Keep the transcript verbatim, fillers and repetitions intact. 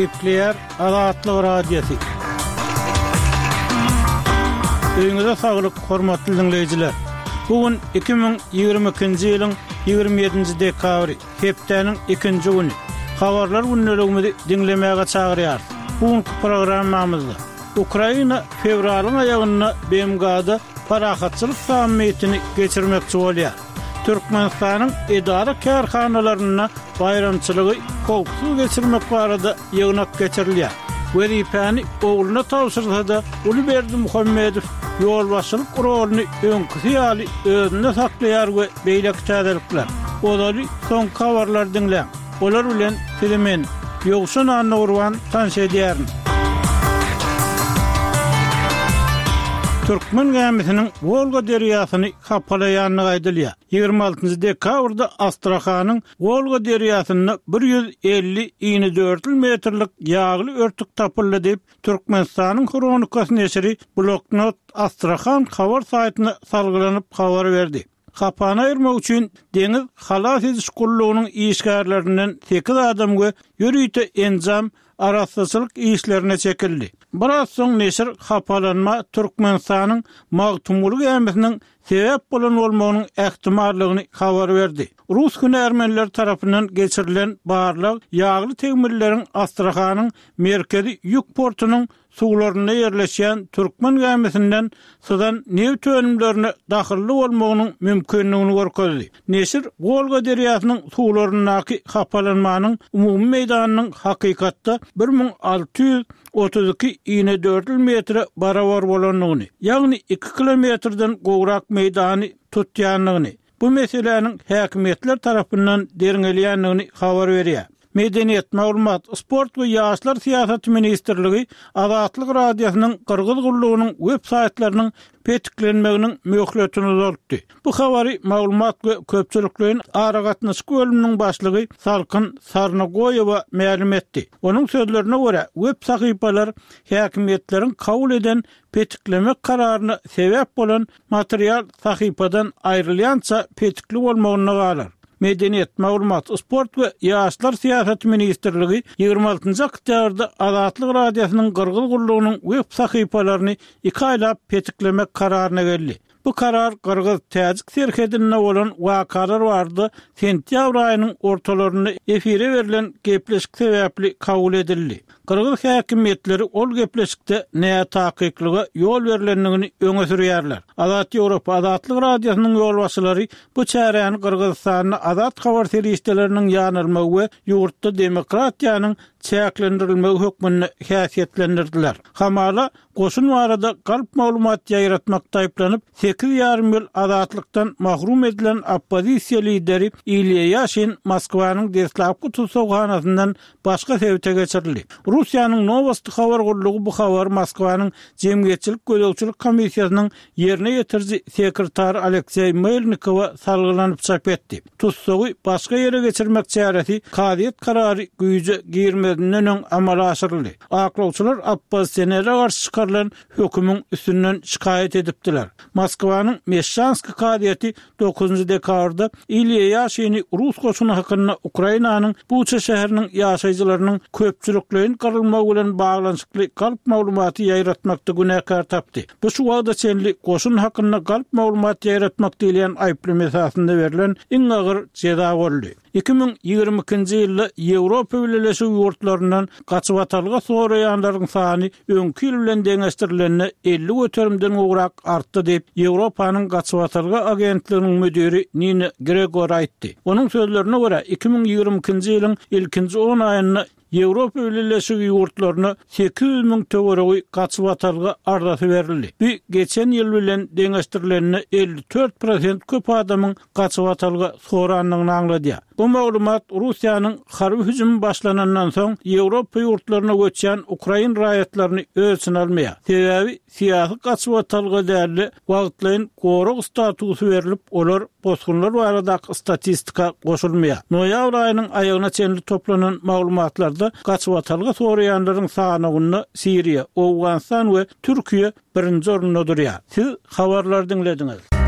Gepleýär Azatlyk Radiosy. Öýüňize saglyk, hormatly diňleýjiler. Bu gün iki müň ýigrimi ikinji ýylyň ýigrimi ýedinji dekabry, hepdäniň ikinji güni. Habarlar gündeligimizi diňlemäge çagyrýarys. Bu günki programmamyzda Ukraina fewralyň aýagynda B M G-da parahatçylyk sammitini geçirmekçi bolýar. Türkmenistanyň edara-kärhanalarynda baýramçylygy howpsuz geçirmek barada ýygnak geçirilýär. Wezipäni ogluna tabşyrsa-da, uly Berdimuhamedow ýolbaşçylyk roluny öňküsi ýaly özünde saklaýar we beýleki täzelikler. Ozaly soňky habarlary diňläň. Olar bilen sizi men, Ýowşan Annagurban tanyş edýärin. Türkmen gämisiniň Wolga derýasyny hapalaýandygy aýdylýar. Ýigrimi altynjy dekabrda Astrahanyň Wolga derýasynda bir ýüz elli inedördül metrlik ýagly örtük tapyldy diýip, Türkmenistanyň Hronikasy neşiri Bloknot Astrahan habar saýtyna salgylanyp habar berdi. Hapany aýyrmak üçin deňiz halas ediş gullugynyň işgärlerinden sekiz adam we ýörite enjam arassaçylyk işlerine çekildi. Biraz soň neşir hapalanma Türkmenistanyň Magtymguly gämisiniň sebäp bolan bolmagynyň ähtimallygyny habar berdi. Rus hünärmenleri tarapyndan geçirilen barlag ýagly tegmilleriň Astrahanyň merkezi ýük portunyň suwlarynda ýerleşýän türkmen gämisinden syzan neft önümlerine dahylly bolmagynyň mümkinligini görkezdi. Neşir Wolga derýasynyň suwlaryndaky hapalanmanyň umumy meýdanynyň hakykatda bir müň alty ýüz otuz iki inedördül metre barabar bolandygyny, ýagny iki kilometrden gowrak meýdany tutýandygyny, bu meseläniň häkimiýetler tarapyndan derňelýändigini habar berýär. Medeniýet, maglumat, sport we ýaşlar syýasaty ministrligi Azatlyk Radiosynyň Gyrgyz gullugynyň web saýtlarynyň petiklenmeginiň möhletini uzaltdy. Bu habary maglumat we köpçülikleýin aragatnaşyk bölüminiň başlygy Salkyn Sarnagoýewa mälim etdi. Onuň sözlerine görä, web sahypalar häkimiýetleriň kabul eden petiklemek kararyna sebäp bolan material sahypadan aýrylýança petikli bolmagynda galar. Medeniýet, maglumat, sport we ýaşlar syýasaty ministrligi ýigrimi altynjy oktýabrda Azatlyk Radiosynyň Gyrgyz gullugynyň web sahypalaryny iki aýlap petiklemek kararyna geldi. Bu karar Gyrgyz-Täjik serhedinde bolan wakalar barada sentýabr aýynyň ortalarynda efire berlen gepleşik sebäpli kabul edildi. Gyrgyz häkimiýetleri ol gepleşikde nätakyklyga ýol berlendigini öňe sürýärler. Azat Ýewropa Azatlyk Radiosynyň ýolbaşçylary bu çäräni Gyrgyzystanda azat habar serişdeleriniň ýanylmagy we ýurtda demokratiýanyň çäklendirilmegi hökmünde häsiýetlendirdiler. Hamala goşun barada galp maglumat ýaýratmakda aýyplanyp, sekiz ýarym ýyl azatlykdan mahrum edilen oppozisiýa lideri Ilýa Ýaşin Moskwanyň deslapky tussaghanasyndan başga sebite geçirildi. Russiýanyň Nowosti habar gullugy bu habary Moskwanyň Jemgyýetçilik gözegçilik komissiýasynyň ýerine ýetiriji sekretary Alekseý Melnikowa salgylanyp çap etdi. Tussagy başga ýere geçirmek çäresi kazyýet karary güýje girmezinden öň amala aşyryldy. Aklawçylar oppozisionere garşy çykarylan hökümiň üstünden şikaýat edipdiler. Moskwanyň Meşşanskiý kazyýeti dokuzynjy dekabrda Ilýa Ýaşini rus goşuny hakynda Ukrainanyň Buça şäheriniň ýaşaýjylarynyň köpçülikleýin gyrylmagy bilen baglanyşykly galp maglumaty ýaýratmakda günäkär tapdy. Bu şu wagta çenli goşun hakynda galp maglumat ýaýratmak diýilýän aýyplama esasynda berlen iň agyr jeza boldy. Iki müň ýigrimi ikinji ýylda Ýewropa Bileleşigi ýurtlaryndan gaçybatalga soraýanlaryň sany öňki ýyl bilen deňeşdirilende elli göterimden gowrak artdy diýip, Ýewropanyň gaçybatalga agentliginiň müdiri Nina Gregor aýtdy. Onuň sözlerine görä, iki müň ýigrimi ikinji ýylyň ilkinji on aýynda Ýewropa Bileleşigi ýurtlaryna sekiz ýüz müň töweregi gaçybatalga arzasy berildi. Bu geçen ýyl bilen deňeşdirilende elli dört prosent köp adamyň gaçybatalga sorandygyny aňladýar. Bu maglumat Russiýanyň harby hüjümi başlanandan soň Ýewropa ýurtlaryna göçýän ukrain raýatlaryny öz içine almaýar. Sebäbi syýasy gaçybatalga dälde wagtlaýyn gorag statusy berlip, olar bosgunlar baradaky statistika goşulmaýar. Noýabr aýynyň aýagyna çenli toplanan maglumatlarda gaçybatalga soraýanlaryň sanawynda Siriýa, Owganystan we Türkiýe birinji orunda durýar. Siz habarlary diňlediňiz.